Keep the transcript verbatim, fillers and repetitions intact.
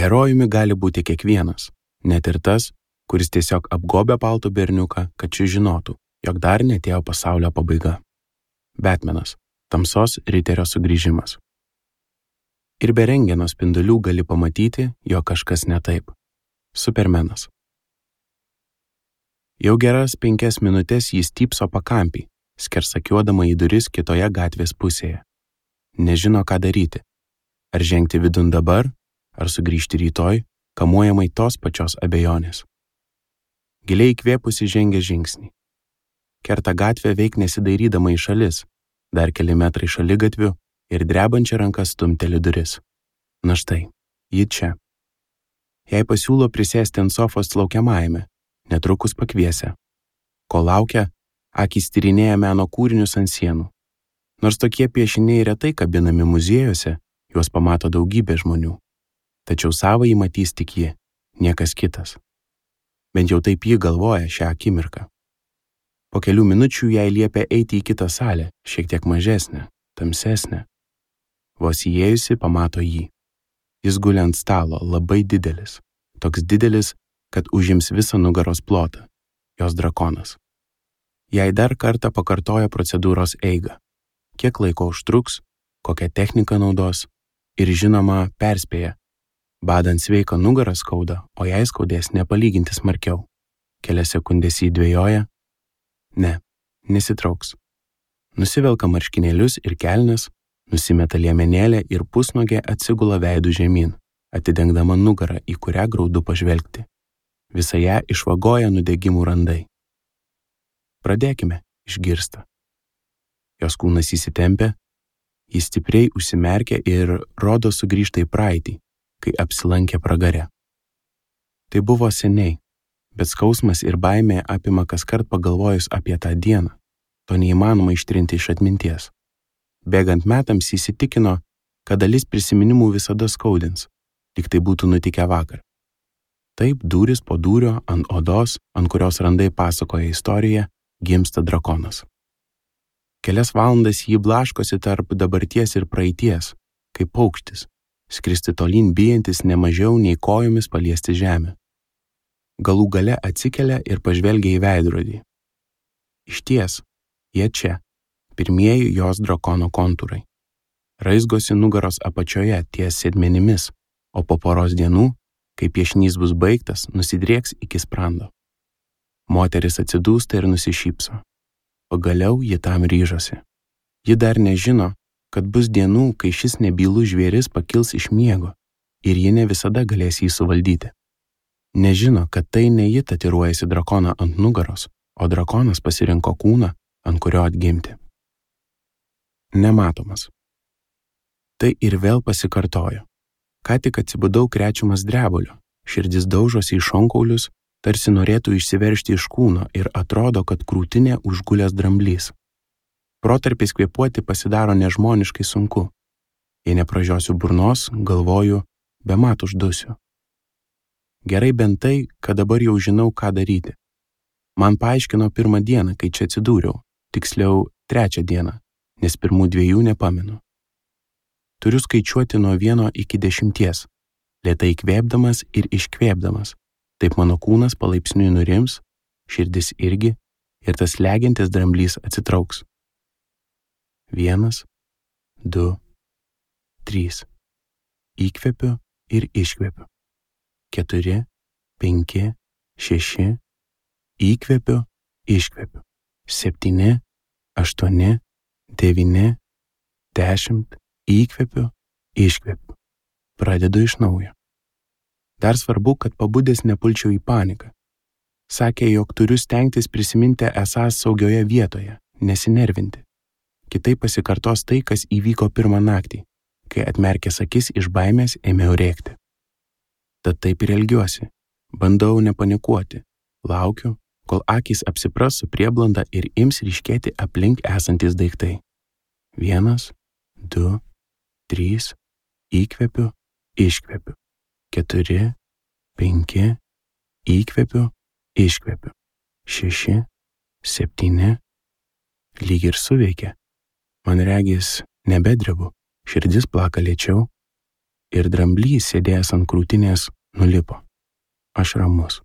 Herojumi gali būti kiekvienas, net ir tas, kuris tiesiog apgobia paltų berniuką, kad šis žinotų, jog dar neatėjo pasaulio pabaiga. Batmanas – tamsos riterio sugrįžimas. Ir be rentgeno spindulių gali pamatyti, jog kažkas ne taip. Supermenas. Jau geras penkias minutės jis typso pakampį, skersakiuodama į duris kitoje gatvės pusėje. Nežino, ką daryti. Ar žengti vidun dabar, ar sugrįžti rytoj, kamuojamai tos pačios abejonės. Giliai įkvėpusi žengia žingsnį. Kerta gatvę veik nesidairydama į šalis, dar keli metrai šaligatvių ir drebančia ranka stumteli duris. Na štai, ji čia. Jai pasiūlo prisėsti ant sofos laukiamajame, netrukus pakviesę. Ko laukia, akys tyrinėja meno kūrinius ant sienų. Nors tokie piešiniai retai kabinami muziejuose, juos pamato daugybė žmonių. Tačiau savąjį matys tik ji, niekas kitas. Bent jau taip ji galvoja šią akimirką. Po kelių minučių jai liepia eiti į kitą salę, šiek tiek mažesnę, tamsesnę. Vos įėjusi pamato jį. Jis guli ant stalo, labai didelis. Toks didelis, kad užims visą nugaros plotą. Jos drakonas. Jai dar kartą pakartoja procedūros eigą. Kiek laiko užtruks, kokią techniką naudos ir žinoma perspėja. Badant sveiką nugarą skauda, o jai skaudės nepalyginti smarkiau. Kelias sekundės jį dvejoja. Ne, nesitrauks. Nusivelka marškinėlius ir kelnes, nusimeta liemenėlę ir pusnuogė atsigula veidų žemyn, atidengdama nugarą, į kurią graudu pažvelgti. Visą ją išvagoja nudegimų randai. Pradėkime, išgirsta. Jos kūnas įsitempia, jis stipriai užsimerkia ir rodo sugrįžta į praeitį, kai apsilankė pragare. Tai buvo seniai, bet skausmas ir baimė apima kaskart pagalvojus apie tą dieną. To neįmanoma ištrinti iš atminties. Bėgant metams įsitikino, kad dalis prisiminimų visada skaudins, lyg tai būtų nutikę vakar. Taip dūris po dūrio ant odos, ant kurios randai pasakoja istoriją, gimsta drakonas. Kelias valandas jį blaškosi tarp dabarties ir praeities, kaip paukštis, skristi tolyn bijantis nemažiau nei kojomis paliesti žemę. Galų gale atsikelia ir pažvelgia į veidrodį. Išties, jie čia, pirmieji jos drakono kontūrai. Raizgosi nugaros apačioje ties sėdmenimis, o po poros dienų, kai piešinys bus baigtas, nusidrieks iki sprando. Moteris atsidūsta ir nusišypso. Pagaliau ji tam ryžosi. Ji dar nežino, kad bus dienų, kai šis nebylus žvėris pakils iš miego ir ji ne visada galės jį suvaldyti. Nežino, kad tai ne ji tatiruojasi drakoną ant nugaros, o drakonas pasirinko kūną, ant kurio atgimti. Nematomas. Tai ir vėl pasikartojo. Ką tik atsibudau krečiamas drebulio, širdis daužosi į šonkaulius, tarsi norėtų išsiveržti iš kūno ir atrodo, kad krūtinė užgulęs dramblys. Protarpiais kvėpuoti pasidaro nežmoniškai sunku. Jei nepražiosiu burnos, galvoju, bemat uždusiu. Gerai bent tai, kad dabar jau žinau, ką daryti. Man paaiškino pirmą dieną, kai čia atsidūriau, tiksliau trečią dieną, nes pirmų dviejų nepamenu. Turiu skaičiuoti nuo vieno iki dešimties, lėtai įkvėpdamas ir iškvėpdamas. Taip mano kūnas palaipsniui nurims, širdis irgi, ir tas legiantis dramblys atsitrauks. Vienas, du, trys. Įkvepiu ir iškvepiu. Keturi, penki, šeši. Įkvepiu, iškvepiu. Septyni, aštuoni, devyni, dešimt. Įkvepiu, iškvepiu. Pradedu iš naujo. Dar svarbu, kad pabudęs nepulčiau į paniką. Sakė, jog turiu stengtis prisiminti esąs saugioje vietoje, nesinervinti. Kitaip pasikartos tai, kas įvyko pirmą naktį, kai atmerkęs akis iš baimės ėmiau rėkti. Tad taip ir elgiuosi. Bandau nepanikuoti. Laukiu, kol akys apsipras su prieblanda ir ims ryškėti aplink esantis daiktai. Vienas, du, trys. Įkvepiu, iškvepiu. Keturi, penki, įkvepiu, iškvepiu. Šeši, septyni. Lyg ir suveikia. Man regis nebedrebu, širdis plaka lėčiau. ir dramblys sėdėjęs ant krūtinės nulipo. Aš ramus.